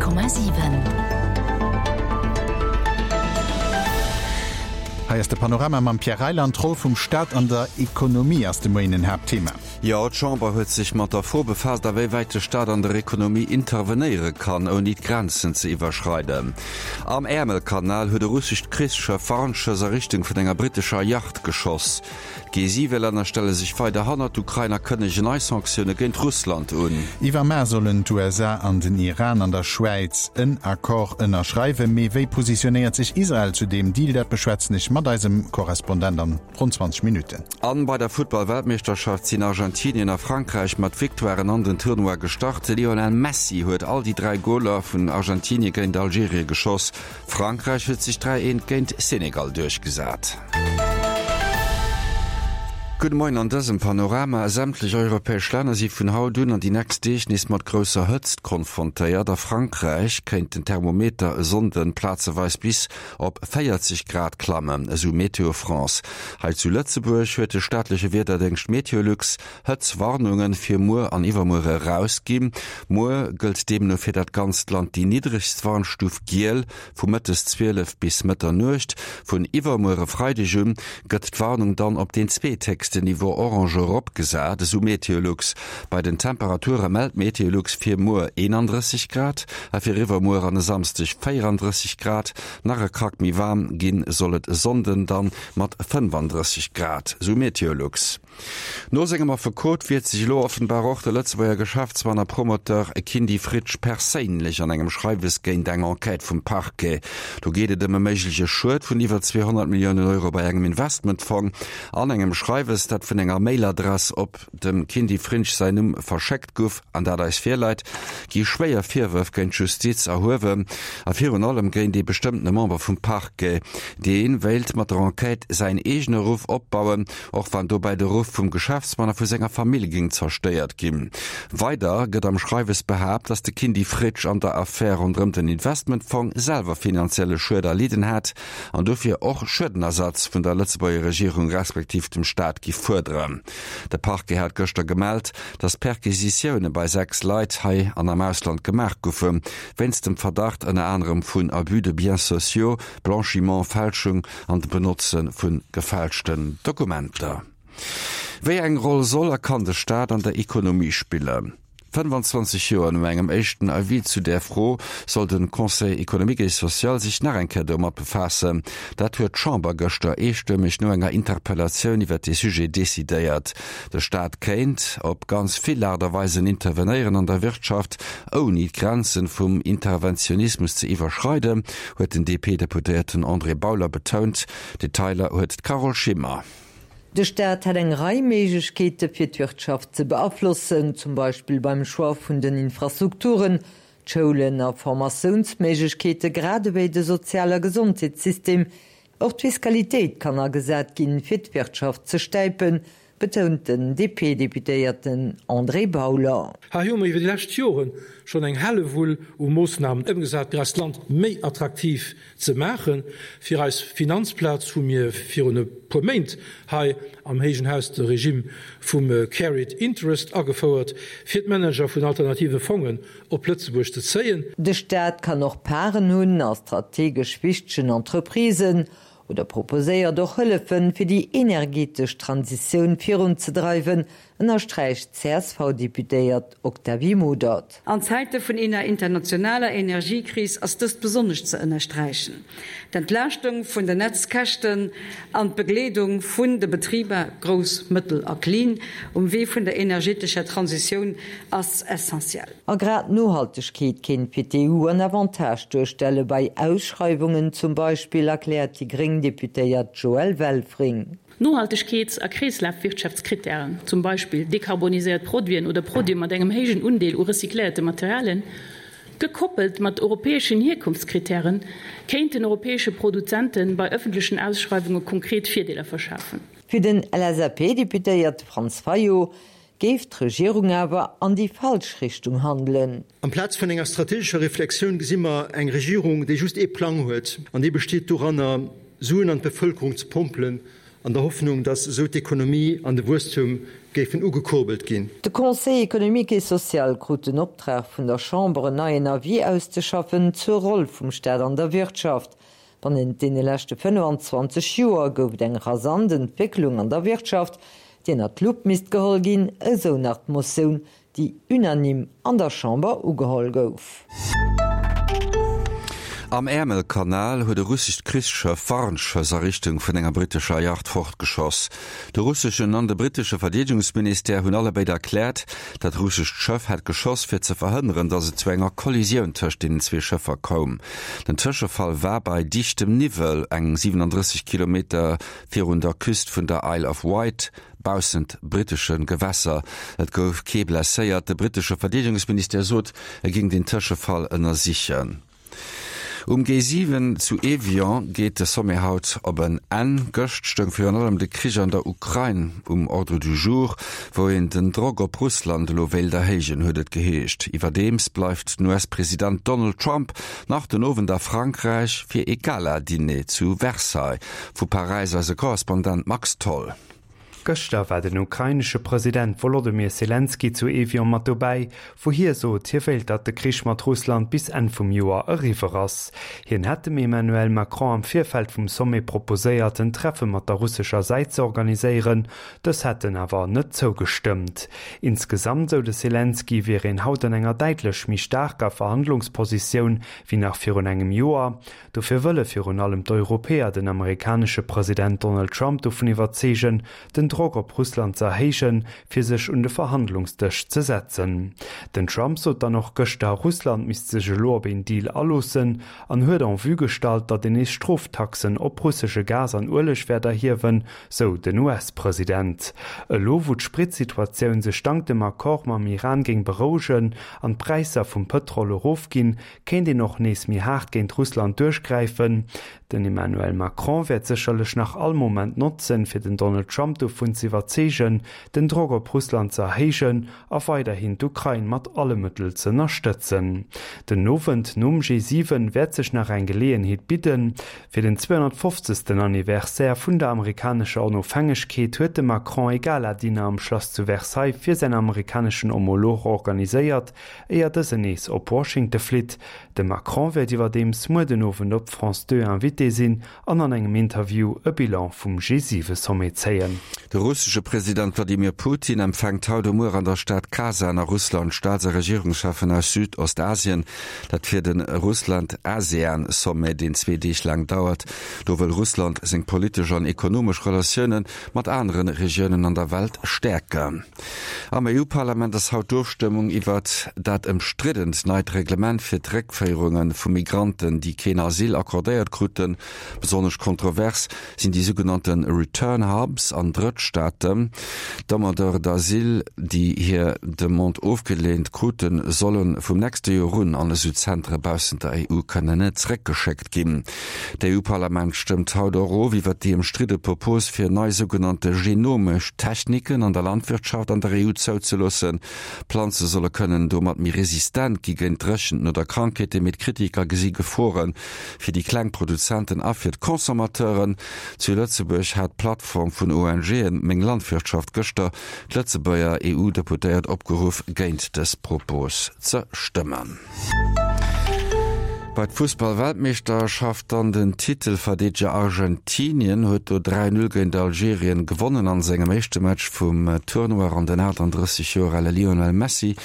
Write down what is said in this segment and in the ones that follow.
100,7. Hei ass de Panorama mam Pierre Reyland. D'Roll vum Staat an der Ekonomie ass de Moien en Haaptthema. Jo, d'Chamber huet sech mat der Fro befaasst, a wéi wäit de Staat an der Ekonomie intervenéiere kann, ouni d'Grenzen ze iwwerschreiden. Am Äermelkanal huet e russescht Krichsschëff Warnschëss a Richtung vun enger brittescher Yacht geschoss. D'G7-Länner stelle sech weider hannert d'Ukrain a kënnegen nei Sanktioune géint Russland un. Iwwer Mar sollen d'USA an den Iran an der Schwäiz en Accord ënnerschreiwen. Mee wéi positionéiert sech Israel zu deem Deal? Dat beschwätzen ech mat eisem Korrespondent an ronn 20 Minutten. An bei der Futtball-Weltmeeschterschaft sinn Argentinien a Frankräich mat Victoiren an den Tournoi gestart. De Lionel Messi huet all déi 3 Goler vun Argentinie géint Algerien geschoss. Frankräich huet sech 3, 1 géint Senegal duerchgesat. Gudde Moien an dësem Panorama. Sämtlech europäesch Länner si vun haut un an déi nächst Deeg nees mat grousser Hëtzt konfrontéiert. A Frankräich kéint den Thermometer e Sonnden plazeweis bis op 40 Grad klammen, esou Météo France. Hei zu Lëtzebuerg huet de staatleche Wiederdéngscht Meteolux Hëtztwarnunge fir muer an iwwermuer erausginn. Muer gëllt deemno fir dat ganzt Land déi niddregst Warnstuf giel vu mëttes 12 bis Mëtternuecht. Vun iwwermuer e Freideg un gëtt d'Warnung dann op deen zweethéchsten Niveau orange eropgesat, esou Meteolux. Bei den Temperature mellt Meteolux fir muer 31 Grad a fir iwwermuer an e Samsdeg 34 Grad. Nach e Krack méi waarm ginn soll et e Sonnden dann mat 35 Grad, esou Meteolux. No sengem Affekot wiert sech elo offenbar och de Lëtzebuerger Geschäftsmann a Promoteur Kindy Fritsch perséinlech an engem Schreiwes géint eng Enquête vum Parquet. Do geet et ëm e méigleche Schued vun iwwer 200 Milliounen Euro bei engem Investmentfong. An engem Schreiwes, dat vun enger Mailadress op dem Kindy Frinsch säin Numm verschéckt guff an dat eis virläit, gi schwéier Virwërf géint d'Justiz erhuewen a virun allem géint ee bestëmmtene Member vum Parquet. Dee wéilt mat der Enquête säin eegene Ruff opbauen, och wann dobäi de Ruff vum Geschäftsmann a vu senger Famill géing zerstéiert ginn. Weider gëtt am Schreiwes behaapt, datt de Kindy Fritsch an der Affär ronderëm den Investmentfong selwer finanzielle Schued erlidden hätt an dofir och Schuedenersatz vun der Lëtzebuerger Regierung respektiv dem Staat giff fuerderen. De Parquet hat gëschter gemellt, datt Perquisitioune bei 6 Leit hei an am Ausland gemaach goufe wéinst dem Verdacht ënner anerem vun Abus de biens sociaux, Blanchiment, Fälschung an dem Benotze vu gefälschten Dokumenter. Wéi eng Roll soll a kann de Staat an der Ekonomie spillen? 25 Joer no engem éischten Avis zu där Fro soll de Conseil économique et social sech nach eng Kéier domat befaassen. Dat huet d'Chamber gëschter eestëmmeg no enger Interpellatioun iwwer dee Sujet decidéiert. De Staat kéint op ganz vill Aart a Weisen intervenéieren an der Wirtschaft, ouni d'Grenzen vum Interventionismus ze iwwerschreiden, huet den DP-Deputéierten André Bauler betount. Detailer huet d'Carole Schimmer. De Staat hätt eng Rei Méiglechkeete fir d'Wirtschaft ze beaflossen, zum Beispill beim Choix vun den Infrastrukturen, d'Schoulen a Formatiounsméiglechkeete grad ewéi de Sozial a Gesondheetssystem. Och d'Fiskalitéit kann agesat ginn, fir d'Wirtschaft ze stäipen, betount den DP-Deputéierten André Bauler. Hei hu mer iwwer déi lescht Jore schonn eng Hellewull u Moossnamen ëmgesat, fir eist Land méi attraktiv ze maachen. Fir eis Finanzplaz hu mir virun e puer Méint hei am héijen Haus de Regime vum Carried Interest agefouert, fir d'Manager vun alternative Fongen op Lëtzebuerg ze zéien. De Staat kann och Paren hunn a strategesch wichtegen Entreprisen oder proposéiert och Hëllefen, fir déi energetesch Transitioun virunzedreiwen, ënnersträicht d'CSV-Deputéiert Octavie Modert. An Zäite vun eener internationaler Energiekris ass dëst besonnesch ze ënnersträichen. D'Entlaaschtung vun den Netzkäschten an d'Begleedung vun de Betriber, grouss, mëttel a klin, um Wee vun der energetescher Transitioun ass essentiell. A grad d'Nohaltegkeet kéint fir d'EU en Avantage duerstelle bei Ausschreiwungen zum Beispill, erkläert déi gréng Deputéiert Joëlle Welfring. Nohaltegkeets a Kreeslafwirtschaftskrittären, zum Beispill dekarboniséiert Produiten oder Produite mat engem héijen Undeel u recycléierte Materialien, gekoppelt mat europäeschen Hierkonftskrittären, kéinten europäesche Produzente bei ëffentlechen Ausschreiwunge konkret Virdeeler verschafen. Fir den LSAP-Deputéierte Franz Fayot géif d'Regierung awer an déi falsch Richtung handelen. Amplaz vun enger strategescher Reflexioun gesi mer eng Regierung, déi just ee Plang huet, an dee besteet doranner, Suen an d'Bevëlkerung ze pompelen, an der Hoffnung, datt esou d'Ekonomie an de Wuesstum géif. géifen ugekurbelt ginn. De Conseil économique et social krut den Optrag vun der Chamber en neien Avis auszeschaffen zur Roll vum Staat an der Wirtschaft. Bannent deene leschte 25 Joer gouf et eng rasant Entwécklung an der Wirtschaft, déi ënnert d'Lupp misst geholl ginn, esou nach d'Motioun, déi unanime an der Chamber ugeholl gouf. Am Äermelkanal huet e russescht Krichsschëff Warnschëss a Richtung vun enger brittescher Yacht fortgeschoss. De russeschen an de brittesche Verdeedegungsministère hunn allebéid erkläert, dat russescht Schëff hätt geschoss, fir ze verhënneren, datt et zu enger Kollisioun tëscht deenen zwee Schëffer koum. Den Tëschefall war bei dichtem Niwwel, eng 37 Kilometer virun der Küst vun der Isle of Wight. Baussent brittesche Gewässer. Et gouf kee blesséiert. De brittesche Verdeedegungsministère sot, e géing den Tëschefall ënnersichen. Um G7 zu Evian geet de Sommet haut op en Enn. Gëscht stoung virun allem de Krich an der Ukrain um Ordre du jour, wou een den Drock op Russland elo wéilt erhéijen, huet et geheescht. Iwwerdeems bleift den US-President Donald Trump nach den Owend a Frankräich fir ee Gala-Diner zu Versailles. Vu Paräis eise Korrespondent Max Tholl. Gëschter war den ukrainesche President Wolodymyr Selenskyj zu Evian mat dobäi, wou hie sot, hie wéilt, datt de Krich mat Russland bis Enn vum Joer eriwwer ass. Hien hätt dem Emmanuel Macron am Virfeld vum Sommet proposéiert, en Treffe mat der russescher Säit ze organiséieren, dës hätten awer net zougestëmmt. Insgesamt, sou de Selenskyj, wier een haut an enger däitlech méi staarker Verhandlungspositioun wéi nach virun engem Joer. Dofir wëlle virun allem d'Europäer den amerikanesche President Donald Trump dovun iwwerzeegen, den Drock op Russland ze erhéijen, fir sech un de Verhandlungsdësch ze setzen. Den Trump sot dann och gëschter, Russland misst sech elo op een Deal aloossen an huet en vue gestallt, datt een nees Stroftaxen op russesche Gas an Ueleg wäert erhiewen, sou den US-President. Elo wou d'Spritsituatioun sech dank dem Accord mam Iran géing berouegen an d'Präisser vum Pëtrol erofginn, Kéint een och nees méi haart géint Russland duerchgräifen? Den Emmanuel Macron wäert sécherlech nach all Moment notzen, fir den Donald Trump dovun ze iwwerzeegen, den Drock op Russland ze erhéijen a weiderhin d'Ukrain mat alle Mëttel ze ënnerstëtzen. Den Owend nom G7 wäert sech nach eng Geleeënheet bidden. Fir den 250. Anniversaire vun der amerikanescher Onofhängegkeet huet de Macron e Gala-Dinner am Schlass zu Versailles fir säin amerikaneschen Homolog organiséiert, Éier dësen nees op Washington flitt. De Macron wäert iwwerdeems muer den Owend op France 2 Invité sinn an an engem Interview e Bilan vum G7-Sommet zéien. De russesche President Wladimir Putin empfänkt haut a muer an der Stad Kasan a Russland Staats a Regierungscheffen aus Südostasien. Dat fir de Russland-ASEAN-Sommet, deen zwee Deeg laang dauert. Do wëll Russland seng politesch an ekonomesch Relatioune mat anere Regiounen an der Welt stäerken. Am EU-Parlament ass haut d'Ofstëmmung iwwert dat ëmstriddent neit Reglement fir d'Réckféierunge vu Migranten, déi keen Asyl accordéiert kruten. Besonnesch kontrovers sinn déi sougenannte Return Hubs an Drëttstaaten. D'Demandeurs d'asile, déi hir Demande ofgeleent kruten, solle vum nächste Joer un an esou Zentere baussent der EU kënnen zeréckgeschéckt ginn. D'EU-Parlament stëmmt haut och of iwwer déi ëmstridde Propos fir nei sougenannte genomesch Techniken an der Landwirtschaft an der EU zouzeloossen. Planze solle kënnen domat méi resistent gi géint Dréchenten oder Krankheeten, mee d'Kritiker gesi Gefore fir déi kleng Produzenten a fir d'Consommateuren. Zu Lëtzebuerg hat d'Plattform vun ONGen Meng Landwirtschaft gëschter d'Lëtzebuerger EU-Deputéiert opgeruff, géint dës Propos ze stëmmen. Bei d'Fussball-Weltmeeschterschaft dann, Den Titelverdeedeger Argentinien huet do 3, 0 géint Algerien gewonnen an sengem éischte Match vum Tournoi an den 38 Joer ale Lionel Messi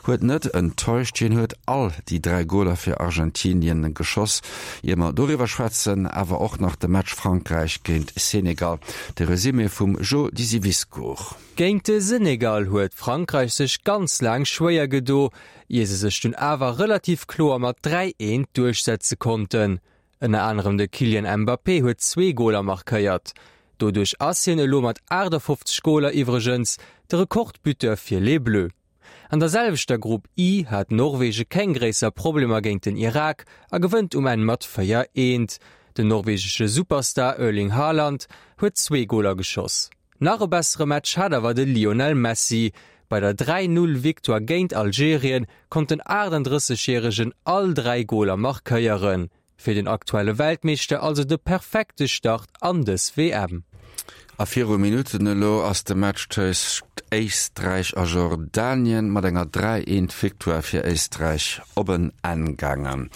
huet net enttäuscht. Hien huet all déi 3 Goler fir Argentinien geschoss. Ier mer doriwwer schwätzen, awer och nach de Match Frankräich géint Senegal. De Resumé vum Jo Disiviscour. Géint de Senegal huet Frankräich sech ganz laang schwéier gedo, ier se sech dunn awer relativ kloer mat 3, 1 duerchsetze konnten. Ënner anerem de Kylian Mbappé huet zwee Goler markéiert. Doduerch ass hien elo mat 58 Goler iwwregens de Rekordbuteur fir Les Bleus. An der selwechter Grupp I hat Norwege keng gréisser Problemer géint den Irak a gewënnt um Enn mat 4, 1. Den norwegesche Superstar Erling Haaland huet zwee Goler geschoss. Nach e bessere Match hat awer de Lionel Messi. Bei der 3, 0 Victoire géint Algerien konnt den 38 Järegen all 3 Goler markéieren. Fir den aktuelle Weltmeeschter also de perfekte Start an dës WM. A viru Minutten elo ass de Match tëscht Éisträich a Jordanien mat enger 3, 1 Victoire fir Éisträich op en Enn gaangen.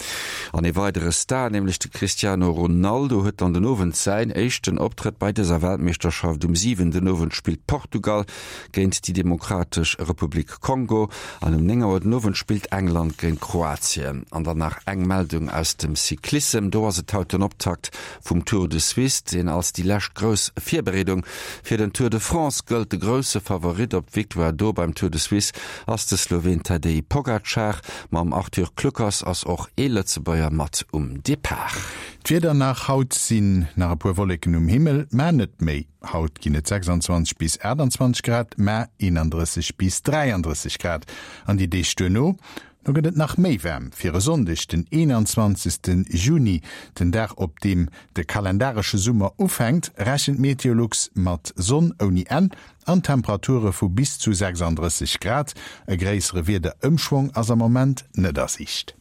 An ee weidere Star, nämlech de Cristiano Ronaldo, huet dann den Owend säin éischten Optrëtt bei dëser Weltmeeschterschaft. Um 7 den Owend spillt Portugal géint déi Demokratesch Republik Kongo an um 9 Auer den Owend spillt England géint Kroatien. An dann nach eng Meldung aus dem Cyclissem, Do ass et haut den Optakt vum Tour de Suisse, deen als déi lescht grouss Virbereedung fir den Tour de France gëllt. De grousse Favorit op d'Victoire do beim Tour de Suisse ass de Sloween Tadej Pogacar. Mam Arthur Kluckers ass och ee Lëtzebuerger mat um Depart. D'Wieder nach, Haut sinn nach e puer Wolleken um Himmel, mä net méi. Haut ginn et 26 bis 28 Grad, mä 31 bis 33 Grad. An déi Deeg duerno? Do gëtt et nach méi waarm. Fir e Sonndeg, den 21. Juni, den Dag op deem de kalendaresche Summer ufänkt, rechent Meteolux mat Sonn ouni Enn an Temperature vu bis zu 36 Grad. E gréissere Wiederëmschwong ass am Moment net a Siicht.